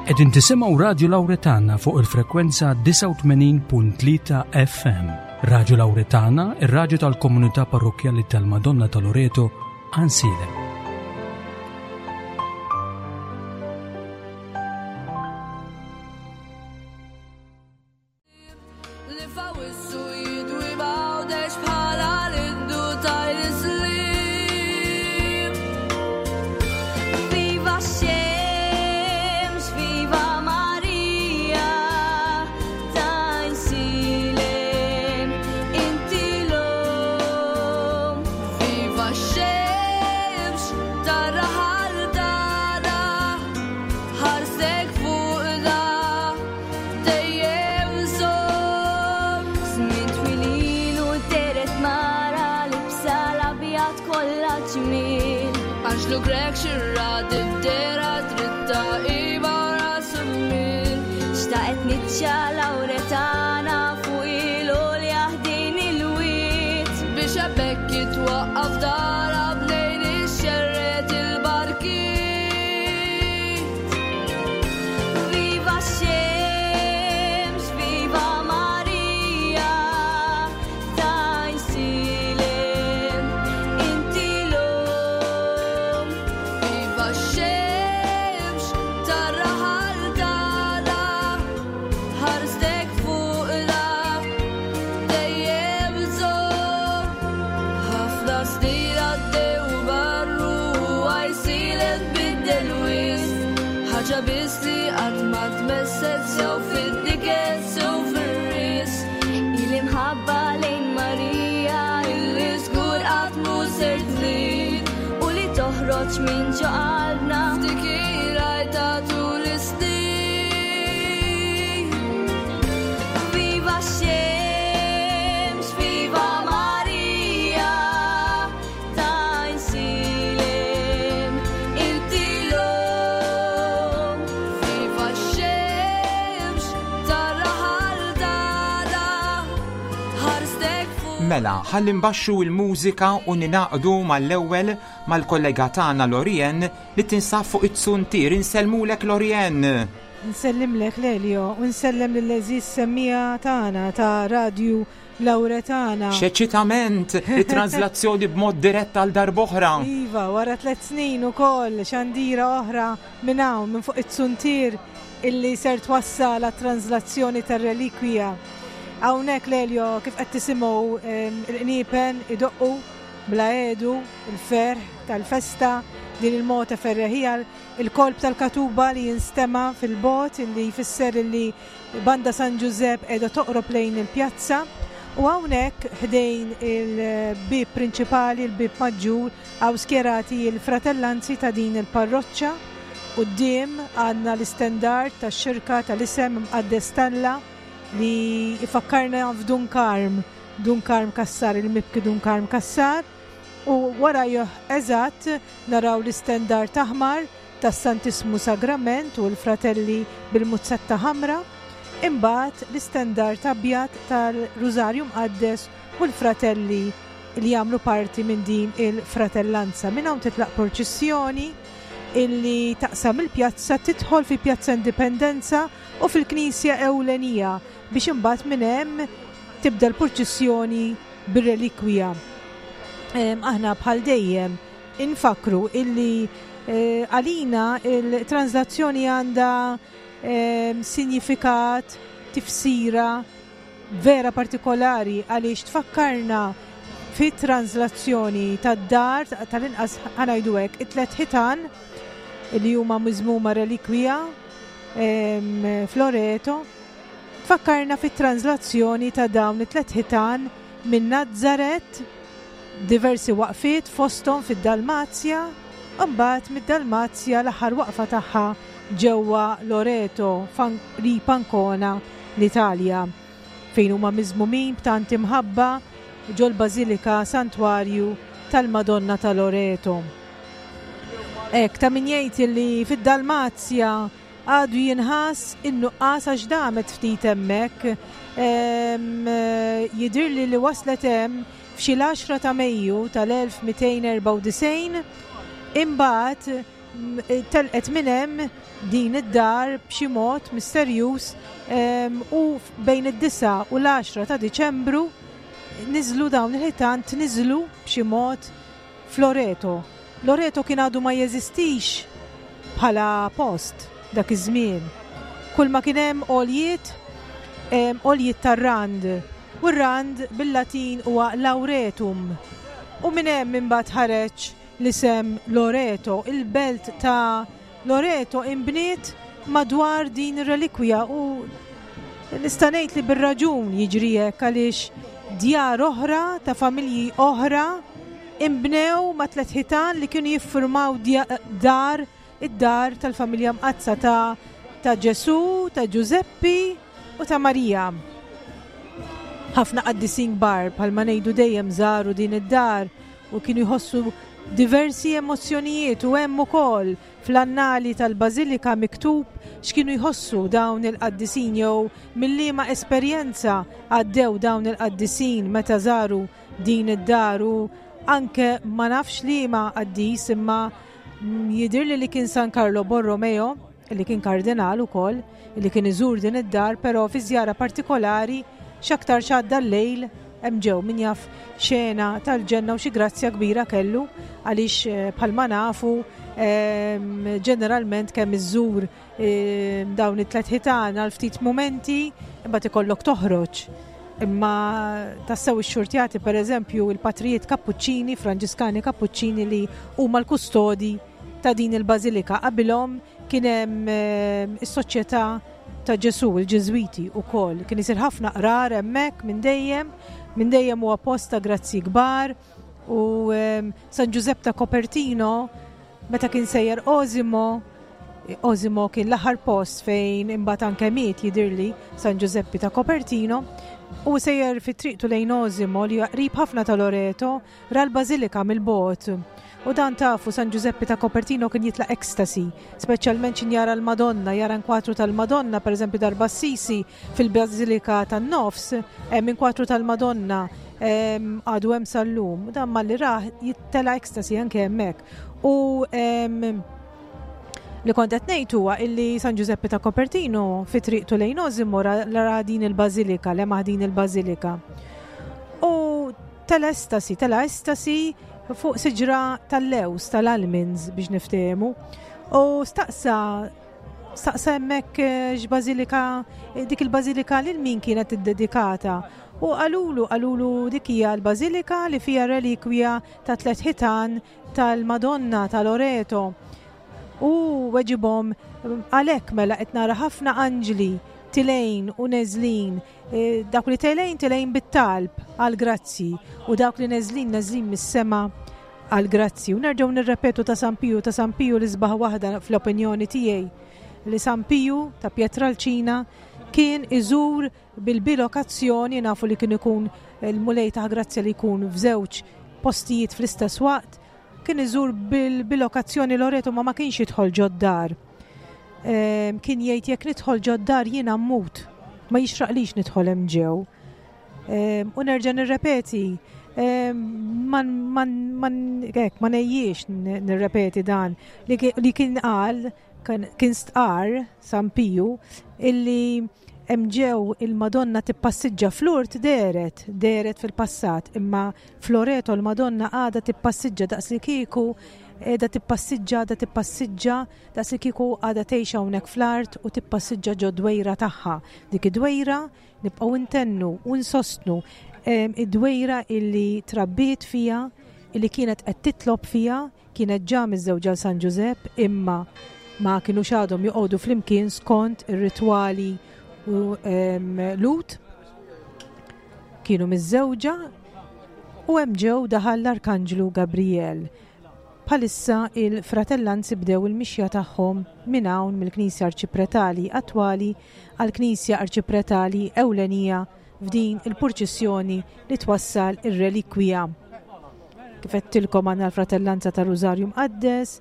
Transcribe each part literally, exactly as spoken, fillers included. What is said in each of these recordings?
Qegħdin tisimgħu Radju Lawretana fuq il-frekwenza disgħa u tmenin punt tlieta F M. Radju Lawretana, ir-radju tal-komunità parrokkjali tal-Madonna ta' Loreto, Għajnsielem. Li fawissu jidwi bawdex bħala l-indu tajl-islim. Viva x-xemx, viva Marija, t'Għajnsielem, inti l-omm. Viva x-xemx, tar-raħal tagħna, ħarstek fuqna, dejjem żomm. Żmien twil ilu dehret mara libsa l-abjad kollha ġmiel. Anġlu Grech xirra dibdera dritta iba ras il-mil. Xtaqet niċċa Lawretana fuq il-għolja ħdejn il-wied. Biex hemmhekk jitwaqqaf dara bnejn ixxerred il-barkiet. Viva x-xemx, viva Marija, t'Għajnsielem, inti l-omm. Viva x-xemx, tar-raħal tagħna, ħarstek fuqna, dejjem żomm. Ħafna snin għaddew barru, Għajnsielem tbiddel wisq. Ħaġa biss li qatt ma tmesset sew fid-diket sew fir-risq. Il-imħabba lejn Marija Illi żgur qatt mhu ser tnid. U li toħroġ minn ġo qalbna. F'dik ir-rajta tul is-snin. Viva x-xemx, viva Marija, t'Għajnsielem, inti l-omm. Viva x-xemx, tar-raħal tagħna, ħarstek fuq. Mela, ħalli nbaxxu il-mużika u ningħaqdu mal-ewwel mal-kollega tagħna Lorien li tinsab fuq it-zuntier. Insellmulek, Lorien. Nsellimlek, Lelio, u nsellem lill-għeżież semmiegħa tagħna ta' Radju Lawretana. X'eċitament, it-translazzjoni b'mod dirett għal darb'oħra. Iva, wara tliet snin ukoll xandira oħra minn hawn minn fuq it-zuntier illi ser twassal għat-translazzjoni tar-relikwija. Hawnhekk, Lelio, kif qed tisimgħu em, il-qniepen idoqqu bla għedu, il-ferħ tal-festa, din il-mota ferreħija, il-kolb tal-katuba li jinstema fil-bogħod illi jfisser illi Banda San Giuseppe qiegħda toqrob lejn il-pjazza. U hawnhekk ħdejn il-bib prinċipali, il-bib maġġur, hawn skjerati il-fratellanzi ta' din il-parroċċa. Quddiem għandna l-istendard tax-xirka tal-isem Mqaddes t'Alla li ifakkarna f'Dun Karm, Dun Karm Kassar, il-mibki Dun Karm Kassar. U wara eżatt naraw l-istendard aħmar tas-Santismu Sagrament u l-fratelli bil-muzzetta ħamra. Imbagħad l-istendard abjad tal-Rużarju Mqaddes u l-fratelli li jagħmlu parti minn din il-fratellanza. Minn hawn titlaq proċessjoni illi taqsam il-pjazza, tidħol fi Pjazza Indipendenza u fil-Knisja Ewlenija biex imbagħad minn hemm tibda l-purċissjoni bir-relikwija. Em, Aħna bħal dejjem infakru illi eh, għalina il-translazzjoni għandha em, sinifikat, tifsira vera partikolari għaliex tfakkarna fi translazzjoni tad-dar, tal-inqas ħa ngħidu hekk, it-tlet ħitan li huma miżmuma relikwija em, f'Loreto, tfakkarna fit translazzjoni ta' dawn it-tlet ħitan minn Nazzaret, diversi waqfiet fosthom fid-Dalmazja, u mbagħad mid-Dalmazja l-aħħar waqfa tagħha ġewwa Loreto, fan- qrib Ancona, l-Italja, fejn huma miżmumin b'tant imħabba ġol-Bażilika Santwarju tal-Madonna ta' Loreto. Hekk, ta' min jgħid li fid-Dalmazja għadu jinħass in-nuqqas għax damet ftit hemmhekk. Em, eh, Jidirli li waslet hemm f'xi l-għaxra ta' Mejju tal-elf mitejn erbgħa u disgħin, imbagħad Telqet minn hemm din id-dar b'xi mod misterjuż u bejn id-disa u l-għaxra ta' Diċembru niżlu dawn il-ħitan, tniżlu b'xi mod f'Loreto. Loreto kien għadu ma jeżistix bħala post dak iż-żmien. Kull ma kien hemm għoljiet, għoljiet tar-rand. U r-rand bil-Latin huwa lauretum. U minn hemm imbagħad ħareġ l-isem Loreto. Il-belt ta' Loreto imbniet madwar din ir-relikwija u nista' ngħid li bir-raġun jiġri hekk, għaliex djar oħra ta' familji oħra imbnew ma' tliet ħitan li kienu jiffurmaw dar id-dar tal-familja mqaddsa ta' ta' Ġesu, ta' Ġużeppi u ta' Marija. Ħafna qaddisin kbar bħalma ngħidu dejjem żaru din id-dar u kienu jħossu diversi emozzjonijiet, u hemm ukoll fl-annali tal-Bażilika miktub x'kienu jħossu dawn il-qaddisin jew mill-liema esperjenza għaddew dawn il-qaddisin meta żaru din id-dar. U anke ma nafx liema qaddis, imma jidhirli li kien San Carlo Borromeo, li kien kardinal ukoll, li kien iżur din id-dar, però fi żjara partikolari x'aktar x'għadda l-lejl hemm ġew min jaf xena tal-ġenna u xi grazzja kbira kellu, għaliex bħalma nafu ġeneralment kemm iżżur dawn it-tliet ħitan għal ftit mumenti imbagħad ikollok toħroġ. Imma tassew ix-xurtjati, pereżempju il-patrijiet Kappuċċini, Franġiskani Kappuċċini, li huma l-kustodi ta' din il-bażilika. Qabilhom kien hemm is-Soċjetà ta' Ġesu, il-Ġiżwiti wkoll. Kien isir ħafna qrar hemmhekk minn dejjem, minn dejjem huwa post ta' grazzi kbar. U San Ġużepp ta' Copertino, meta kien sejjer Osimo, Osimo kien l-aħħar post fejn imbagħad anke miet jidhirli San Ġużeppi ta' Copertino, u sejjer fi triqtu lejn Osimo li huwa qrib ħafna ta' Loreto, ra l-bażilika mill-bogħod. U dan tafu San Ġużeppi ta' Copertino kien jitla' ekstasi, speċjalment x'in jara l-Madonna, jara nkwatru tal-Madonna, pereżempju darba Assisi fil-Bażilika tan-Nofs, hemm inkwatru tal-Madonna għadu hemm sal-lum. Dan malli rah jittela' ekstasi anke hemmhekk. U li kont qed ngħid huwa illi San Ġużeppi ta' Copertino fi triqtu lejn Osimo ra din il-bażilika, lemaħ din il-bażilika. U tela' estasi, tela' estasi fuq siġra tal-lews, tal-almonds biex niftehmu. U staqsa, staqsa hemmhekk x'bażilika, dik il-bażilika lil min kienet iddedikata. U qalulu, qalulu dik hija l-bażilika li fiha relikwija ta' tliet ħitan tal-Madonna ta' Loreto. U weġibhom, għalhekk mela qed nara ħafna anġli tilejn u neżlin. Dawk li telejn telejn bit-talb għal grazzi, u dawk li neżlin neżlin mis-sema għal grazzi. U nerġgħu nirrepetu ta' San Piju, ta' San Piju li sbaħ waħda fl-opinjoni tiegħi, li San Piju ta' Pietralcina kien iżur bil-bilokazzjoni, nafu li kien ikun il-Mulej ta' grazzja li jkun f'żewġ postijiet fl-istess waqt, kien iżur bil-bilokazzjoni Loreto, ma ma kienx jidħol ġod-dar. Kien jgħid jekk nidħol ġod-dar jiena mmut, ma jixraqlix nidħol hemm ġew. U nerġa' nirrepeti, ma ngħejjiex nirrepeti dan li kien qal, kien stqar San Piju illi hemm ġew il-Madonna tippassiġġa fl-Urt, dehret, dehret fil-passat, imma f'Loreto l-Madonna għadha tippassiġġa daqs li kieku qiegħda tippassiġġa, għadha tippassiġġa daqs li kieku għadha tgħix hawnhekk fl-art u tippassiġġa ġo dwejra tagħha. Dik id-dwejra nibqgħu ntennu u nsostnu id-dwejra illi trabbiet fiha, illi kienet qed titlob fiha, kienet ġa miżżewġa San Ġużepp, imma ma kinux għadhom joqogħdu flimkien skont ir-ritwali u Lut. Kienu miżżewġa u hemm ġew daħal l-Arkanġlu Gabriel. Bħalissa il-fratellanzi bdew il-mixja tagħhom minn hawn mill-Knisja Arċipretali attwali għall-Knisja Arċipretali ewlenija f'din il-purċissjoni li twassal ir-relikwija. Kif għedtilkom għandna l-Fratellanza tar-Rużarju Mqaddes,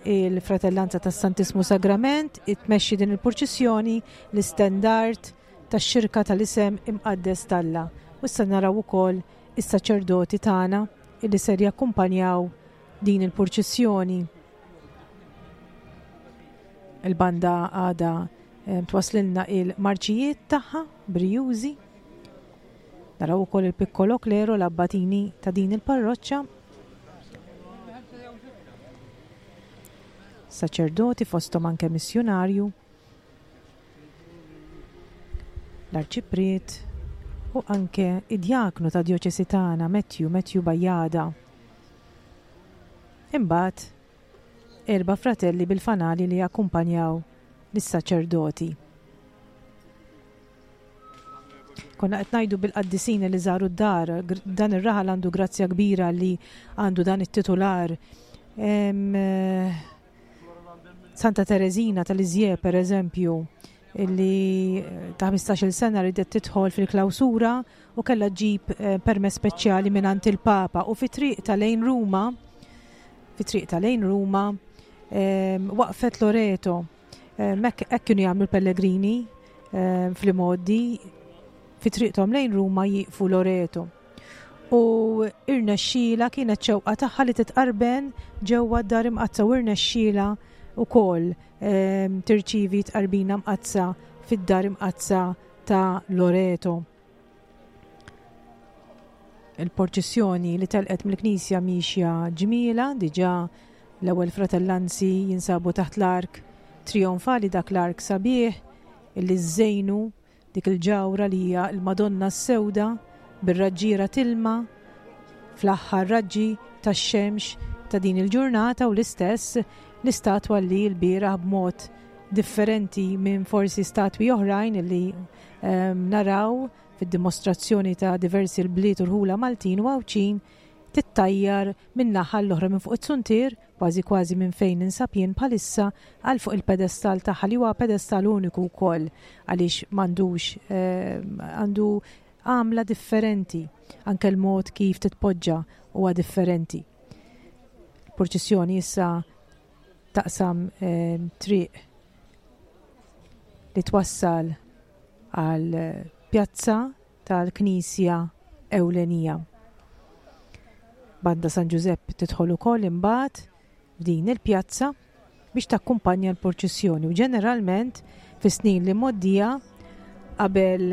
il-Fratellanza tas-Santismu Sagrament, itmexxi din il-purċissjoni l-istendard tax-xirka tal-isem imqaddes t'Alla. U issa naraw ukoll is-saċerdoti tagħna illi ser jakkumpanjaw din il-purċissjoni. Il-banda għada twaslilna il-marċijiet tagħha brijużi. Naraw ukoll il-Piccolo Clero, l-abbatini ta' din il-parroċċa. Saċerdoti fosthom anke missjunarju, l-arċipriet u anke id-djaknu ta' djoċesi tagħna Matthew, Matthew Bajada. Imbagħad erba' fratelli bil-fanali li jakkumpanjaw lis-saċerdoti. Konna qed ngħidu bil-qaddisin li żaru d-dar, dan ir-raħal għandu grazzja kbira li għandu dan it-titular. Santa Teresina tal-Iżje, per eżempju, illi ta' ħmistax-il sena ridet tidħol fil-klawsura u kellha ġġib permess speċjali mingħand il-Papa, u fi triq ta' lejn Ruma, fi triq ta' lejn Ruma, waqfet Loreto. Hekk kienu jagħmlu l-pellegrini fl-imgħoddi, fi triqthom lejn Ruma jieqfu Loreto. U irnexxiela, kienet xewqa tagħha li titqarben ġewwa d-dar imqaddsa, u irnexxiela wkoll tirċievi tqarbina mqaddsa fid-dar imqaddsa ta' Loreto. Il-porċissjoni li telqet mill-knisja mixja ġmiela, diġà l-ewwel fratellanzi jinsabu taħt l-ark trionfali, dak l-ark sabiħ illi żejnu dik il-ġawra li hija l-Madonna s-Sewda bir-raġġiera tilma fl-aħħar raġġi tax-xemx ta' din il-ġurnata, u l-istess l-istatwa li l-bieraħ b'mod differenti minn forsi statwi oħrajn li naraw fid-dimostrazzjoni ta' diversi l-bliet u rħula Maltin u Għawdxin, tittajjar minn naħa l-oħra minn fuq it-suntier, kważi kważi minn fejn ninsab jien bħalissa, għal fuq il-pedestal tagħha, li huwa pedestal uniku wkoll għaliex m'għandux, għandu għamla differenti, anke l-mod kif titpoġġa huwa differenti. Purċissjoni issa taqsam triq li twassal għal pjazza tal-Knisja Ewlenija. Banda San Ġużepp tidħol ukoll imbagħad f'din il-pjazza biex takkumpanja l-purċissjoni, u ġeneralment fis-snin li mgħoddija qabel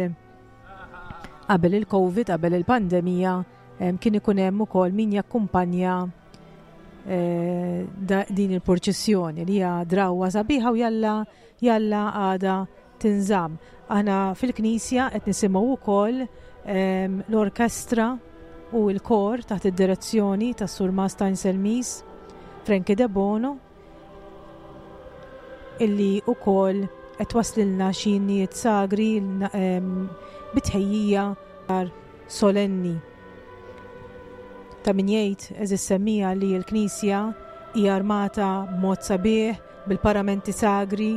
qabel il-Covid, qabel il-pandemija, kien ikun hemm ukoll min jakkumpanja din il-purċissjoni li hija drawwa sabiħa u jalla jalla għada tinżamm. Aħna fil-knisja qed nisimgħu wkoll l-orkestra u l-kor taħt id-direzzjoni tas-Sur Mastajn Selmis, Frankie De Bono, illi wkoll qed twaslilna xi innijiet sagri bitħejjija solenni. Ta' min jgħid, eżis semmija, li l-knisja hija armata b'mod sabiħ bil-paramenti sagri,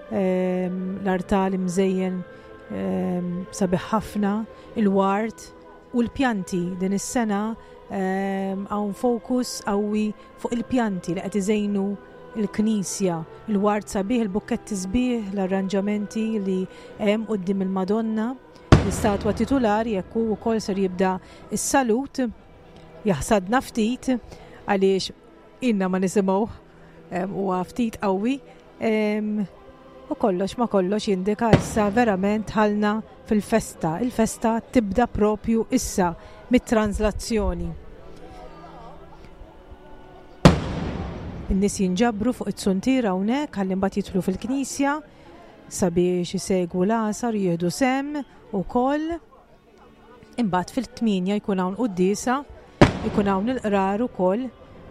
l-artal imżejjen sabiħ ħafna, il-ward u l-pjanti. Din is-sena hawn fokus qawwi fuq il-pjanti li qed iżejnu l-knisja, il-ward sabiħ, il-bukketti sbieħ, l-arranġamenti li hemm quddiem il-Madonna, l-istatwa titulari, jekk hu wkoll ser jibda s-salut, jaħsadna ftit għaliex inna ma nisimgħuh, huwa ftit qawwi, u kollox ma kollox jindika issa verament ħalna fil-festa. Il-festa tibda propju issa mit-translazzjoni. In-nies jinġabru fuq it-suntier hawnhekk ħalli mbagħad jidħlu fil-knisja sabiex isegwu l-għasar, jieħdu sehem ukoll. Imbagħad fil-tmienja jkun hawn quddiesa, ikun hawn il-qrar ukoll,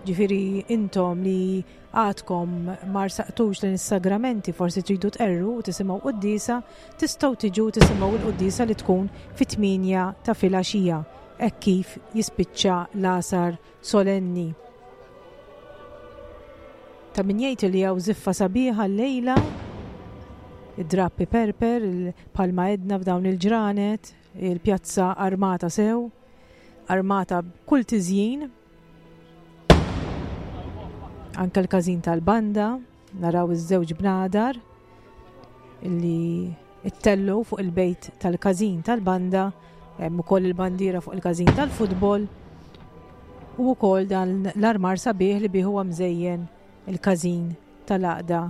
ġifieri intom li għadkom ma rsaqtux lejn is-sagramenti, forsi tridu tqerru u tisimgħu quddiesa, tistgħu tiġu tisimgħu l-quddiesa li tkun fit-tmienja ta' filgħaxija, hekk kif jispiċċa l-għasar solenni. Ta' min jgħid li hawn żiffa sabiħa llejla, id-drappi perper, bħalma għedna f'dawn il-ġranet, il-pjazza armata sew, armata b'kull tiżjin, anke l-każin tal-banda, naraw iż-żewġ bnadar illi ittellu fuq il-bejt tal-każin tal-banda, hemm ukoll il-bandiera fuq il-każin tal-futbol, u wkoll dan l-armar sabiħ li bih huwa mżejjen il-każin tal-għaqda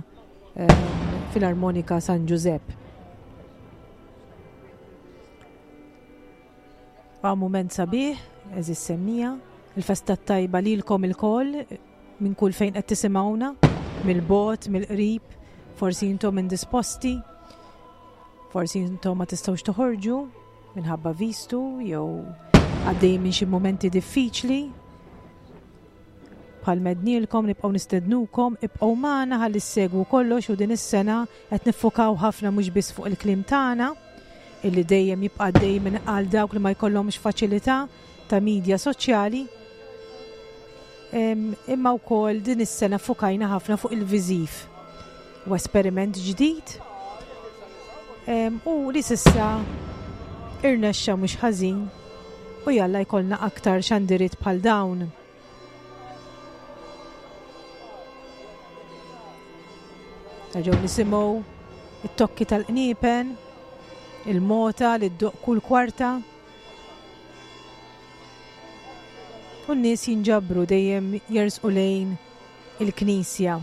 Filarmonika San Ġużepp. Wa mument sabiħ, eżis semmija, il-festa tajba lilkom ilkoll minn kull fejn qed tisimgħuna, mill-bogħod, mill-qrib, forsi intom indisposti, forsi intom ma tistgħux toħorġu minħabba vistu jew għaddej minn xi mumenti diffiċli. Bħal mednilkom nibqgħu nistednukom, ibqgħu magħna ħalli ssegwu kollox u din is-sena qed niffukaw ħafna mhux biss fuq il-kliem tagħna illi dejjem jibqa' dejjem minn għal dawk li ma jkollhomx faċilità ta' media soċjali. Imma wkoll din is-sena ffukajna ħafna fuq il-viżiv u esperiment ġdid u li s'issa irnexxa mhux ħażin u jalla jkollna aktar xandiriet bħal dawn. Nerġgħu nisimgħu it-tokki tal-qniepen, il-mota li ddoq kull kwarta. U n-nies jinġabru dejjem jersqu lejn il-knisja.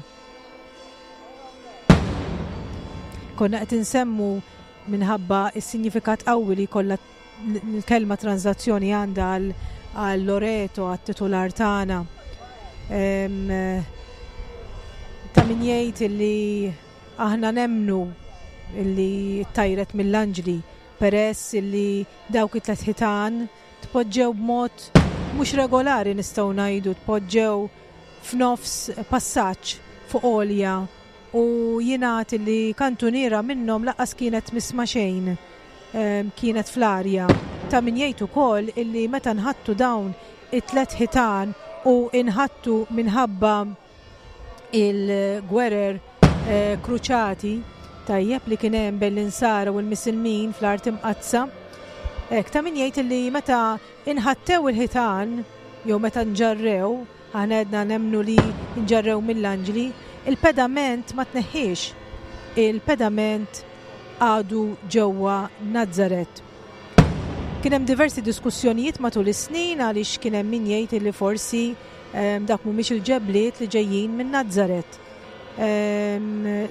Konna qed insemmu minħabba s-sinjifikat qawwi li jkollha l-kelma tranżazzjoni għandha għal Loreto, għat-titular tagħna. Ta' min jgħid illi aħna nemnu illi tajret mill-anġli peress illi dawk it-tliet ħitan tpoġġew b'mod mhux regolari, nistgħu ngħidu, tpoġġew f'nofs passaġġ fuq għolja u jingħad illi kantuniera minnhom lanqas kienet misma' xejn, kienet fl-arja. Ta' min jgħid ukoll illi meta nħattu dawn it-tliet ħitan u inħattu minħabba il-gwerer kruċati tajjeb li kien hemm bejn l-insara u l-misilmin fl-art imqaddsa. Hekk ta' min jgħid illi meta inħattew il-ħitan jew meta nġarrew, aħna għedna nemmnu li nġarrew mill-anġli, il-pedament ma tneħħiex, il-pedament għadu ġewwa Nazzaret. Kien hemm diversi diskussjonijiet matul is-snin għaliex kien hemm min jgħid illi forsi dak mhumiex il-ġebliet li ġejjin minn Nazzaret,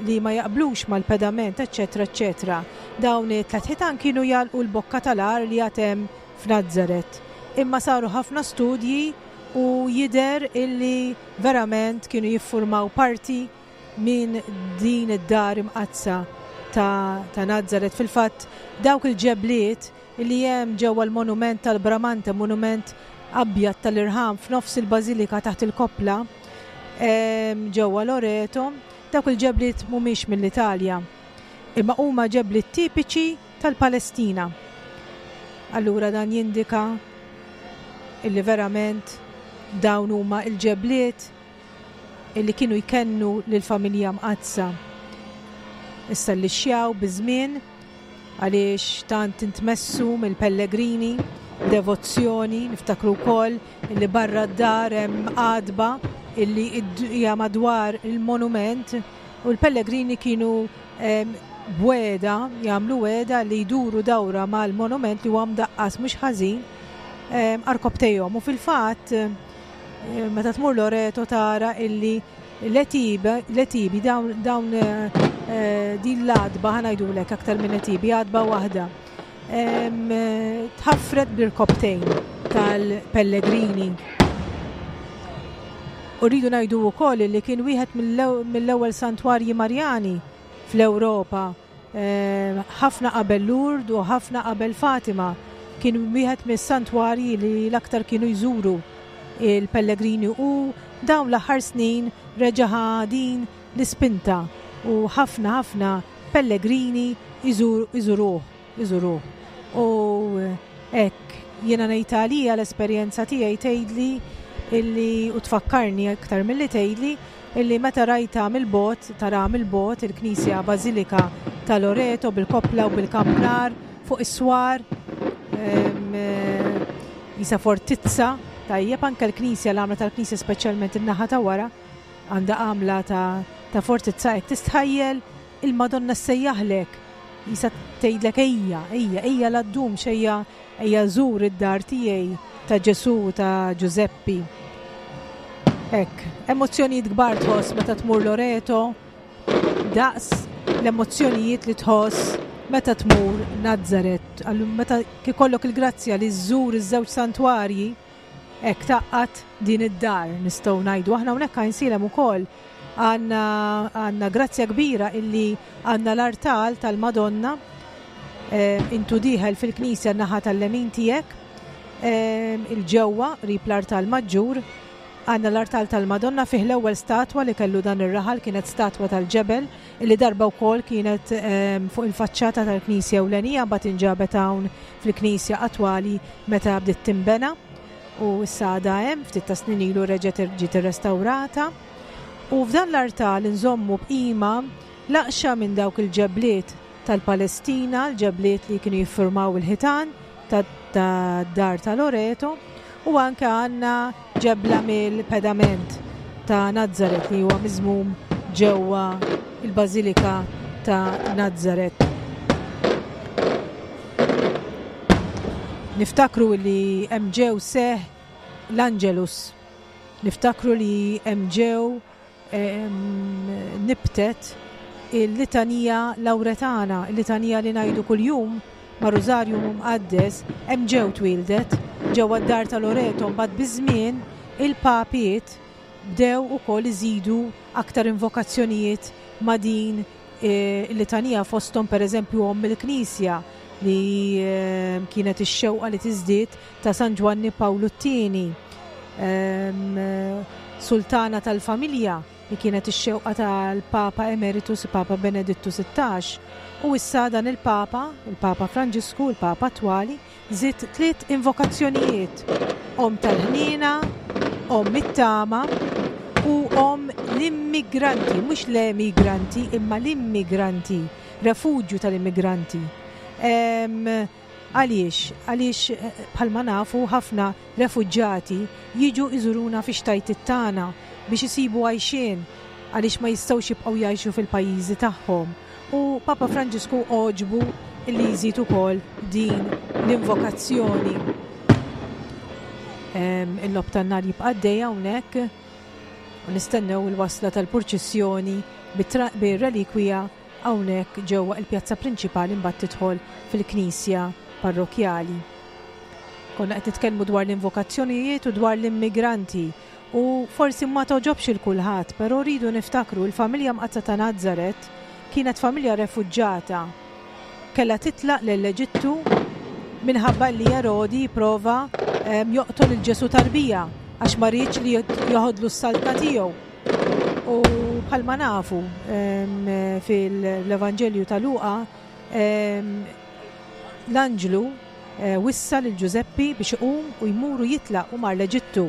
li ma jaqblux mal-pedament, eċċetera, eċċetera. Dawn it-tliet ħitan kienu jagħlqu l-bokka tal-għar li għad hemm f'Nazzaret. Imma saru ħafna studji u jidher illi verament kienu jiffurmaw parti minn din id-dar imqaddsa ta', ta' Nazzaret. Fil-fatt dawk il-ġebliet illi hemm ġewwa l-monument tal-Bramante, monument abjad tal-irħam f'nofs il-bażilika taħt il-koppla ġewwa Loreto, dawk il-ġebliet mhumiex mill-Italja, imma huma ġebliet tipiċi tal-Palestina. Allura dan jindika illi verament dawn huma il-ġebliet illi kienu jkennu lill-familja mqaddsa. Issa li xjaw biż-żmien għaliex tant intmessu mill-pellegrini, devozzjoni, niftakru wkoll illi barra d-dar hemm għadba illi hija madwar il-monument u l-pellegrini kienu b'weda, jagħmlu weda li jduru dawra mal-monument li huwa mdaqqas mhux ħażin arkobtejhom. U fil-fatt meta tmur Loreto tara illi l-etibi dawn, dawn din l-għadba, ħa ngħidulek aktar minn etibi, għadba waħda, tħaffret bl-irkobtejn tal-pellegrini. U rridu ngħidu wkoll li kien wieħed mill-ewwel santwarji Marjani fl-Ewropa, ħafna qabel Lourdes u ħafna qabel Fatima. Kien wieħed mis-santwarji li l-aktar kienu jżuru il-pellegrini u dawn l-aħħar snin reġa' din l-ispinta u ħafna ħafna pellegrini iżuruh, iżuruh. U hekk jiena ngħid għalija l-esperjenza tiegħi tgħidli illi u tfakkarni aktar milli tgħidli illi meta rajta mill-bogħod, tara mill-bogħod il-Knisja Bażilika ta' Loreto bil-koppla u bil-kampnar fuq is-swar, jisa fortizza, tajjeb anke l-Knisja, l-għamla tal-Knisja speċjalment in-naħa ta' wara għandha għamla ta', ta' fortizza, hekk tistħajjel il-Madonna ssejjaħlek, jisa tgħidlek ejja, ejja, ejja la ddumx, ejja, ejja żur id-dar tiegħi ta' Ġesù, ta' Ġużeppi. Hekk, emozzjonijiet kbar tħoss meta tmur Loreto, daqs l-emozzjonijiet li tħoss meta tmur Nazzaret. Allum meta ikollok il-grazzja li żżur iż-żewġ santwarji, hekk tgħaqqad din id-dar nistgħu ngħidu. Aħna hawnhekk Għajnsielem ukoll għandna għandna grazzja kbira illi għandna l-artal tal-Madonna eh, intu dieħel fil-knisja naħa tal-lemin tiegħek eh, il-ġewwa qrib l-artal maġġur għandna l-artal tal-Madonna fih l-ewwel statwa li kellu dan ir-raħal kienet statwa tal-ġebel illi darba wkoll kienet ehm, fuq il-faċċata tal-Knisja ewlenija mbagħad inġabet hawn fil-Knisja attwali meta bdiet tinbena u issa għadha hemm ftit ta' snin ilu reġgħet ġiet irrestawrata. U f'dan l-artal nżommu b'qima laqxa minn dawk il-ġebliet tal-Palestina, l-ġebliet li kienu jiffurmaw il-ħitan tad-dar ta' Loreto, u anke għandna ġebla mill-pedament ta' Nazzaret li huwa miżmum ġewwa il-Bażilika ta' Nazzaret. Niftakru li hemm ġew seħ l-Angelus. Niftakru li hemm ġew nibtet il-litanija Lauretana, il-litanija li ngħidu kuljum ma' Rosario Mqaddes, hemm ġew twildet ġewwa d-dar ta' Loreto, mbagħad biż-żmien il-papiet bdew ukoll iżidu aktar invokazzjonijiet ma' din il-litanija, fosthom pereżempju Omm il-Knisja li kienet ix-xewqa li tiżdied ta' San Ġwanni Pawlu t-tieni, Sultana tal-Familja li kienet ix-xewqa tal-Papa Emeritus Papa Benedittu sittax, u issa dan il-Papa, il-Papa Franġisku, il-Papa attwali, żied tliet invokazzjonijiet: Omm tal-Ħniena, Omm it-Tama u Omm l-Immigranti, mhux l-emigranti imma l-immigranti, refuġju tal-immigranti. Għaliex? Għaliex bħalma nafu ħafna refuġġati jiġu iżuruna fi xtajtiet tagħna biex isibu għajxien għaliex ma jistgħux jibqgħu jgħixu fil-pajjiżi tagħhom. U Papa Franġisku għoġbu li jżid ukoll din l-invokazzjoni. Il-lob tan-nar jibqa' għaddej hawnhekk u nistennew il-wasla tal-purċissjoni bir-relikwija hawnhekk ġewwa il-pjazza prinċipali mbagħad tidħol fil-knisja parrokjali. Konna qed nitkellmu dwar l-invokazzjonijiet u dwar l-immigranti u forsi ma toġobx il kulħadd, però rridu niftakru l-familja Mqaddsa ta' Nazzaret kienet familja refuġġata. Kellha titlaq lill-Eġittu minħabba li Erodi jipprova joqtol il Ġesu tarbija għax ma riedx li joħodlu s-saltna tiegħu. U bħalma nafu fil-Evanġelju ta' Luqa l-anġlu wissa lil Ġużeppi biex iqum u jmuru jitlaq u mar l-Eġittu.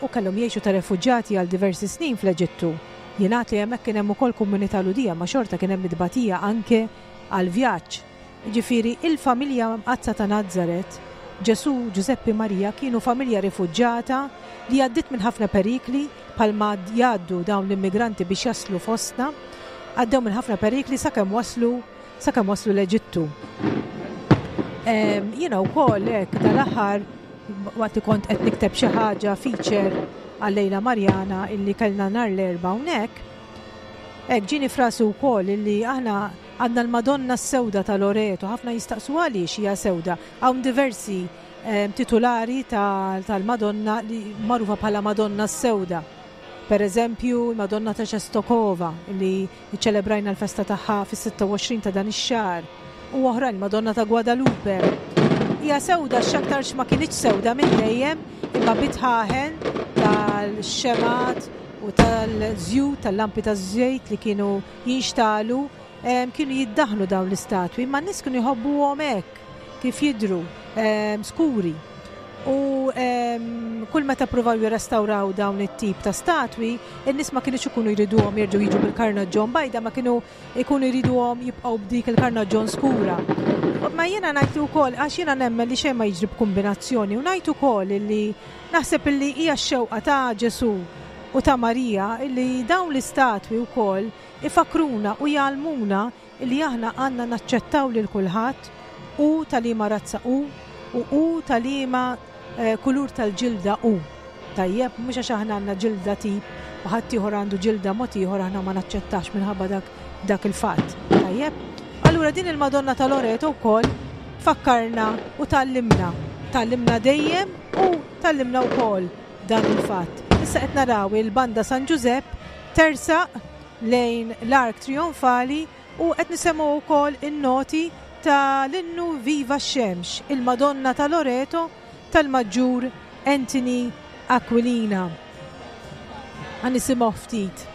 U kellhom jgħixu ta' refuġġati għal diversi snin fl-Eġittu. Jingħad li hemmhekk kien hemm ukoll komunità Lhudija, ma xorta kien hemm itbatija anke għal vjaġġ. Jiġifieri il-familja Mqaddsa ta' Nazzaret, Ġesu, Ġużeppi, Marija kienu familja rifuġġata li għaddiet minn ħafna perikli bħalma jgħaddu dawn l-immigranti biex jaslu fostna, għaddew minn ħafna perikli sakemm waslu sakemm waslu l-Eġittu. Jiena wkoll hekk dal-aħħar waqt li kont qed nikteb xi ħaġa feature għal-Lejla Marjana illi kellna nhar l-Erbgħa hawnhekk, hekk ġieni frasi wkoll illi aħna għandna l-Madonna s-Sewda ta' Loreto, ħafna jistaqsu għaliex hija sewda. Hawn diversi titulari tal-Madonna li magħrufa bħala Madonna s-Sewda. Per eżempju, Madonna ta' Częstochowa li ċċelebrajna l-festa tagħha fis-sitta u għoxrin ta' dan ix-xahar, u oħrajn Madonna ta' Guadalupe. Hija sewda x'aktarx ma kinitx sewda minn dejjem, imma bitħaħen tal-xemat u tal-żjut, tal-lampi taż-żejt li kienu jinxtalu, kienu jiddaħnu dawn l-istatwi, imma n-nies kienu jħobbuhom hekk kif jidhru, skuri. U kull meta provaw jirrestawraw dawn it-tip ta' statwi, in-nies ma kienux ikunu jriduhom jerġgħu jiġu bil-karnaġġon bajda, ma kienu ikunu jriduhom jibqgħu b'dik il-karnaġġon skura. Ma jiena ngħid ukoll, għax jiena nemmen li xejn ma jiġri b'kombinazzjoni, u ngħid ukoll illi naħseb illi hija x-xewqa ta' Ġesu u ta' Marija illi dawn l-istatwi wkoll ifakruna u jgħallmuna illi aħna għandna naċċettaw lil kulħadd u tal-liema razza hu u hu tal-liema kulur tal-ġilda hu. Tajjeb, mhux għax aħna għandna ġilda tip u ħaddieħor għandu ġilda mod ieħor aħna ma naċċettax minħabba dak dak il-fatt. Tajjeb? Allura din il-Madonna ta' Loreto wkoll fakkarna u tgħallimna. Tgħallimna dejjem u tgħallimna wkoll dan il-fatt. Issa qed naraw il-Banda San Ġużepp tersaq lejn l-Ark Trionfali u qed nisemgħu wkoll in-noti ta' l-innu Viva x-Xemx, il-Madonna ta' Loreto tal-Maġġur Anthony Aquilina. Ħa nisimgħu ftit.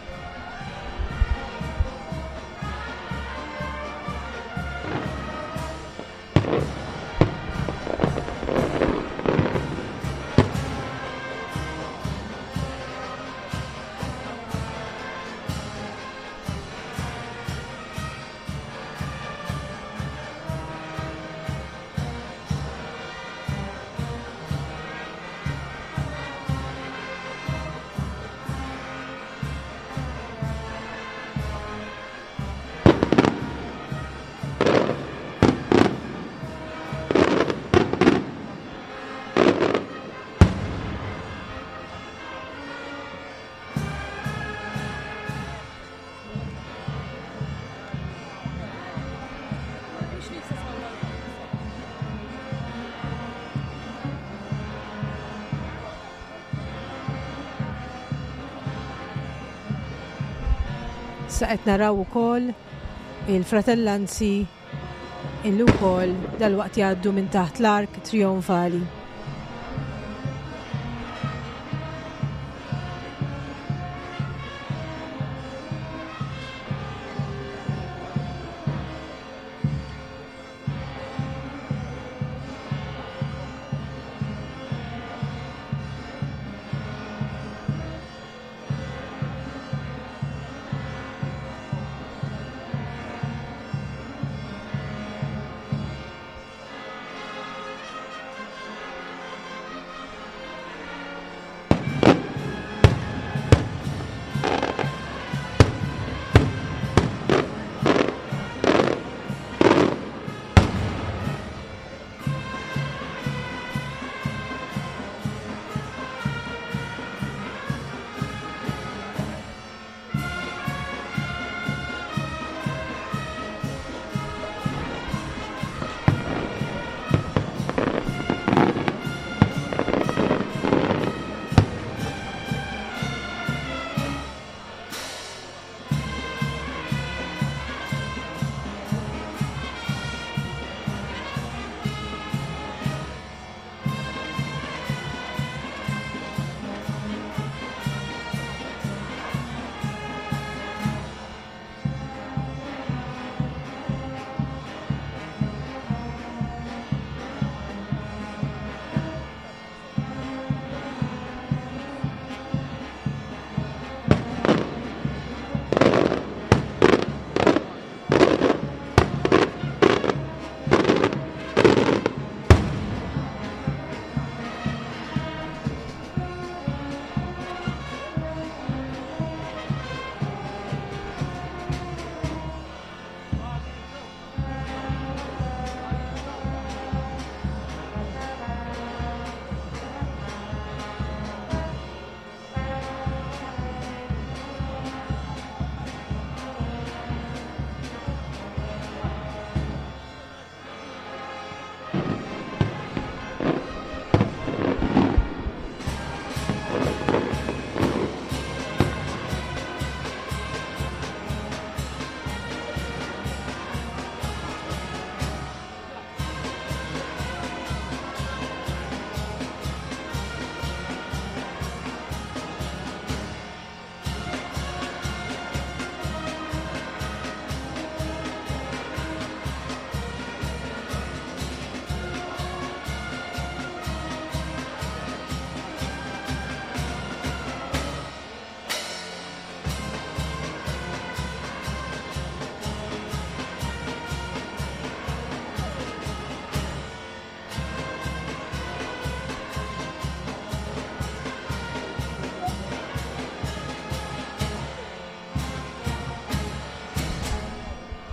Issa qed naraw ukoll il-fratellanzi illi wkoll dalwaqt jgħaddu minn taħt l-Ark Trionfali.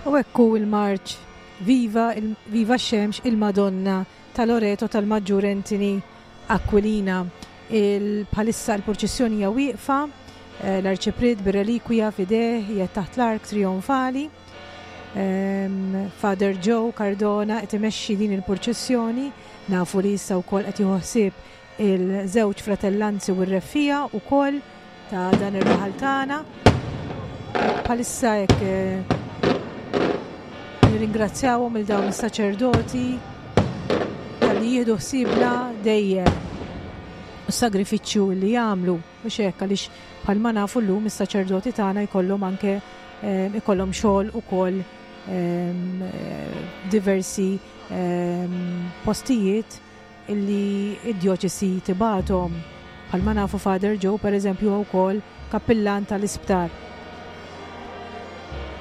U hekk hu il-marċ Viva, il, Viva x-Xemx, il-Madonna ta' Loreto tal-Maġġur Anthony Aquilina. Il, bħalissa l-purċissjoni hija wieqfa, L-Arċipriet bir-relikwija f'idejh qiegħed taħt l-ark trionfali. Father Joe Cardona qed imexxi din il-purċissjoni, nafu li issa wkoll qed jieħu ħsieb il-żewġ fratellanzi u r-reffija wkoll ta' dan ir-raħal tagħna. Bħalissa hekk nirringrazzjawhom il dawn is-saċerdoti talli jieħdu ħsiebna dejjem u s-sagrifiċċju li jagħmlu, mhux hekk, għaliex bħalma nafu llum is-saċerdoti tagħna jkollhom anke ikollhom xogħol ukoll diversi postijiet illi id-djoċesi tibathom. Bħalma nafu Father Joe pereżempju huwa wkoll kappillan tal-isptar.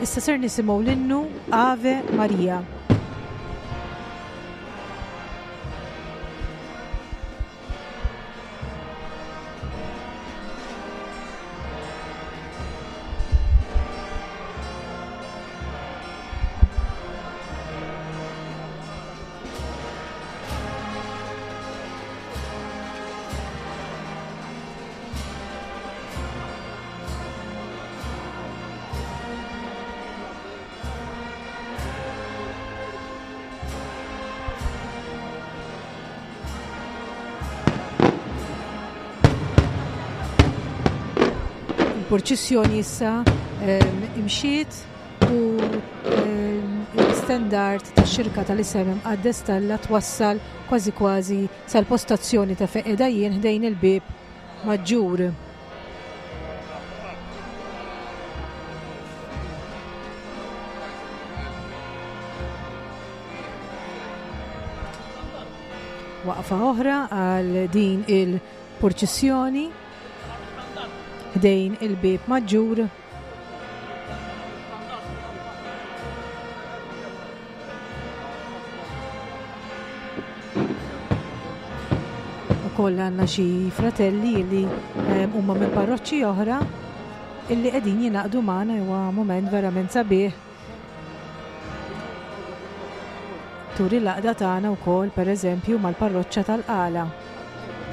Issa ser nisimgħu l-innu Ave Maria. Il-purċissjoni issa imxiet u l-istendard tax-xirka tal-isem imqaddes talla twassal kważi kważi sal-postazzjoni ta' fejn qiegħda jien ħdejn il-bieb maġġur. Waqfa oħra għal din il-purċissjoni ħdejn il-bieb maġġur. Ukoll għandna xi fratelli li huma minn parroċċi oħra illi qegħdin jingħaqdu magħna, huwa mument verament sabiħ. Turi l-għaqda tagħna wkoll pereżempju mal-parroċċa tal-Qala,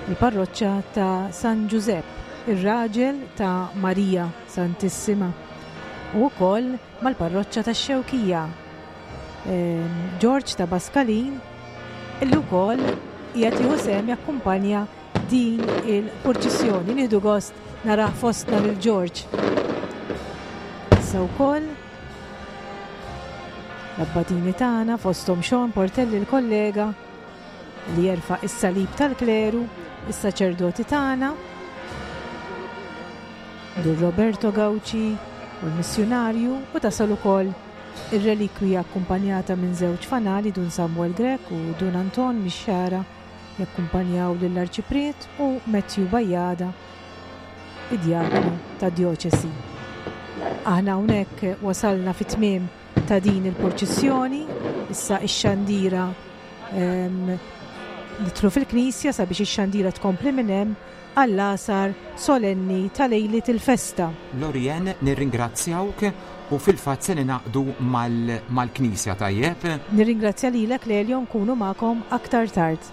il-parroċċa ta' San Ġużepp, ir-raġel ta' Marija Santissima, u wkoll mal-parroċċa tax-Xewkija, George ta' Baskalin, illi wkoll qiegħed jieħu sehem jakkumpanja din il-purċissjoni. Nieħdu gost narah fostna lil George. Issa wkoll l-abbatini tagħna fosthom Sean Portelli l-kollega li jerfa' is-salib tal-kleru, is-saċerdoti tagħna, Dun Roberto Gauci u l-missjunarju, u tasal ukoll ir-relikwija akkumpanjata minn żewġ fanali, Dun Samuel Grech u Dun Anton Mixxara, jakkumpanjaw lill-Arċipriet u Matthew Bajada, id-djaknu tad-djoċesi. Aħna hawnhekk wasalna fit-tmiem ta' din il-purċissjoni, issa ix-xandira nidħlu fil-knisja sabiex ix-xandira tkompli minn hemm għall-għasar solenni ta' lejliet il-festa. Lorien, nirringrazzjawk u fil-fatt se ninaqdu mal-knisja, tajjeb? Nirringrazzja lilek Lelio, nkunu magħkom aktar tard.